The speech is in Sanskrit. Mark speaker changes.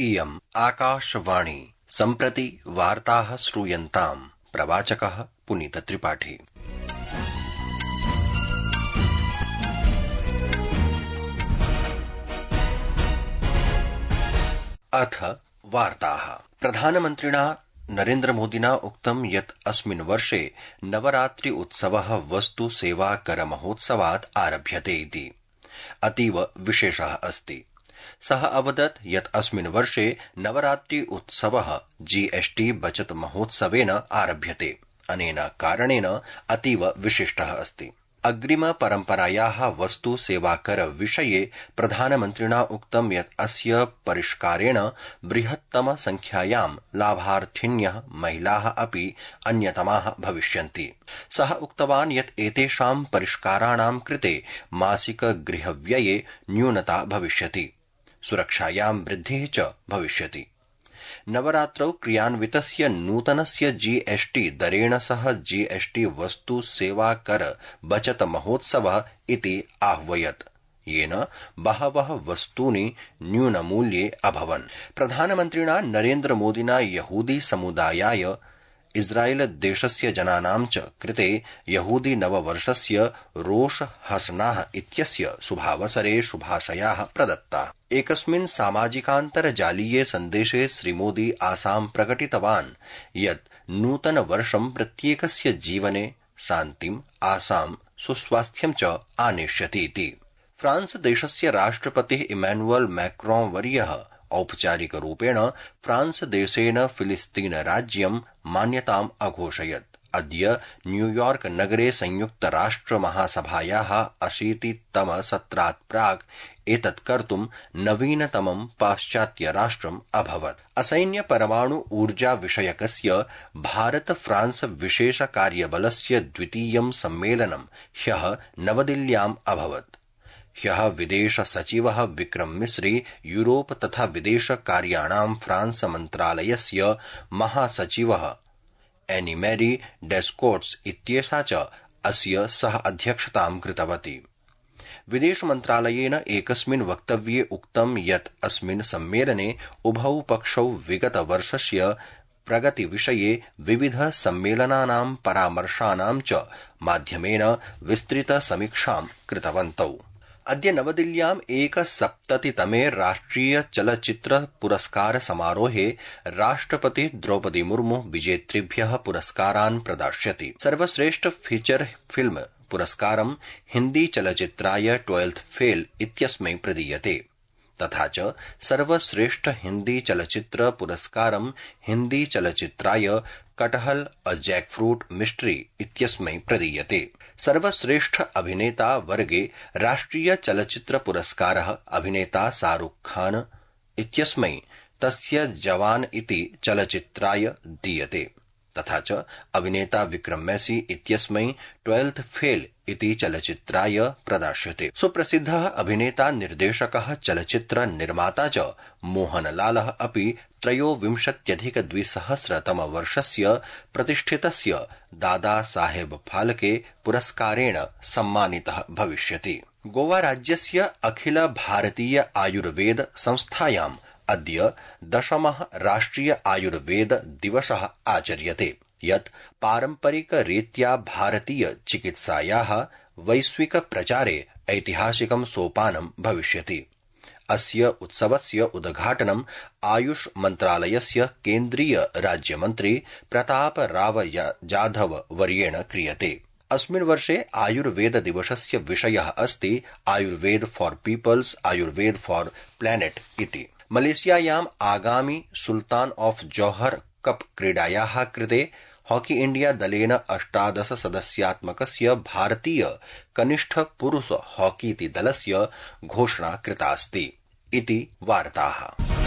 Speaker 1: इयम् आकाशवाणी सम्प्रति वार्ताः श्रूयन्ताम् प्रवाचकः पुनीतत्रिपाठी। अथ वार्ताः। प्रधानमन्त्रिणा नरेन्द्रमोदिना उक्तं यत् अस्मिन् वर्षे नवरात्रि उत्सवः वस्तु सेवा कर महोत्सवात् आरभ्यते इति अतीव विशेषः अस्ति। सः अवदत् यत् अस्मिन् वर्षे नवरात्रि उत्सवः जीएसटी बचत महोत्सवेन आरभ्यते। अनेन कारणेन अतीव विशिष्टः अस्ति। अग्रिम परम्परायाः वस्तु सेवाकर विषये प्रधानमन्त्रिणा उक्तं यत् अस्य परिष्कारेण बृहत्तम संख्यायां लाभार्थिन्यः महिलाः अपि अन्यतमाः भविष्यन्ति। सः उक्तवान् यत् एतेषां परिष्काराणां कृते मासिक गृहव्यये न्यूनता भविष्यति, सुरक्षायां वृद्धिः च भविष्यति। नवरात्रौ क्रियान्वितस्य नूतनस्य जीएसटी दरेण सह जीएसटी वस्तु सेवा कर बचत महोत्सवः इति आह्वयत्, येन बहवः वस्तूनि न्यूनमूल्ये अभवन्। प्रधानमन्त्रिणा नरेन्द्रमोदिना यहूदी समुदायाय इस्राएल देशस्य जनानां च कृते यहूदी नववर्षस्य रोष हसनाः इत्यस्य शुभावसरे शुभाशयाः प्रदत्ताः। एकस्मिन् सामाजिकान्तर्जालीये सन्देशे श्रीमोदी आशां प्रकटितवान् यत् नूतन वर्षं प्रत्येकस्य जीवने शान्तिम्, आशां, सुस्वास्थ्यं च आनेष्यति इति। फ्रांस देशस्य राष्ट्रपतिः इमैनुअल मैक्रों वर्यः औपचारिक रूपेण फ्रांस देशेन फिलिस्तीन राज्यं मान्यताम् अघोषयत्। अद्य न्यूयॉर्क नगरे संयुक्त राष्ट्र महासभायाः 80तम सत्रात् प्राक् एतत् कर्तुं नवीनतमं पाश्चात्य राष्ट्रम् अभवत्। असैन्य परमाणु ऊर्जा विषयकस्य भारत फ्रांस विशेष कार्यबलस्य द्वितीयं सम्मेलनं ह्यः नवदिल्ल्याम् अभवत्। ह्यः विदेश सचिवः विक्रम मिस्री, यूरोप तथा विदेश कार्याणां फ्रांस मन्त्रालयस्य महासचिवः एनी मैरी डेस्कोट्स इत्येषा च अस्य सह अध्यक्षतां कृतवती। विदेश मन्त्रालयेन एकस्मिन् वक्तव्ये उक्तं यत् अस्मिन् सम्मेलने उभौ पक्षौ विगत वर्षस्य प्रगति विषये विविध सम्मेलनानां परामर्शानां च माध्यमेन विस्तृत समीक्षां कृतवन्तौ। अद्य नवदिल्ल्याम् 71तमे राष्ट्रिय चलच्चित्र पुरस्कार समारोहे राष्ट्रपतिः द्रौपदी मुर्मु विजेतृभ्यः पुरस्कारान् प्रदास्यति। सर्वश्रेष्ठ फीचर फिल्म पुरस्कारं हिन्दी चलच्चित्राय 12th फेल इत्यस्मै प्रदीयते, तथा च सर्वश्रेष्ठ हिन्दी चलच्चित्र पुरस्कारं हिन्दी चलच्चित्राय कटहल अ जैकफ्रूट मिस्ट्री इत्यस्मै प्रदीयते। सर्वश्रेष्ठ अभिनेता वर्गे राष्ट्रिय चलच्चित्र पुरस्कारः अभिनेता शाहरुख खान इत्यस्मै तस्य जवान इति चलच्चित्राय दीयते, तथा च अभिनेता विक्रम मैसी इत्यस्मै 12th फेल इति चलच्चित्राय प्रदास्यते। सुप्रसिद्धः अभिनेता निर्देशकः चलच्चित्र निर्माता च मोहनलालः अपि 23+2000 वर्षस्य प्रतिष्ठितस्य दादा साहेब फाल्के पुरस्कारेण सम्मानितः भविष्यति। गोवा राज्यस्य अखिल भारतीय आयुर्वेद संस्थायाम् अद्य 10मः राष्ट्रिय आयुर्वेद दिवसः आचर्यते, यत् पारम्परिक रीत्या भारतीय चिकित्सायाः वैश्विक प्रचारे ऐतिहासिकं सोपानं भविष्यति। अस्य उत्सवस्य उद्घाटनं आयुष मन्त्रालयस्य केन्द्रीय राज्यमन्त्री प्रताप राव जाधव वर्येण क्रियते। अस्मिन् वर्षे आयुर्वेद दिवसस्य विषयः अस्ति Ayurveda for peoples, Ayurveda for planet इति। मलेशियायाम् आगामि सुल्तान ऑफ जौहर कप क्रीडायाः कृते हॉकी इंडिया दलेन 18 सदस्यात्मकस्य भारतीय कनिष्ठ पुरुष हॉकीति दलस्य घोषणा कृतास्ति इति वार्ताः।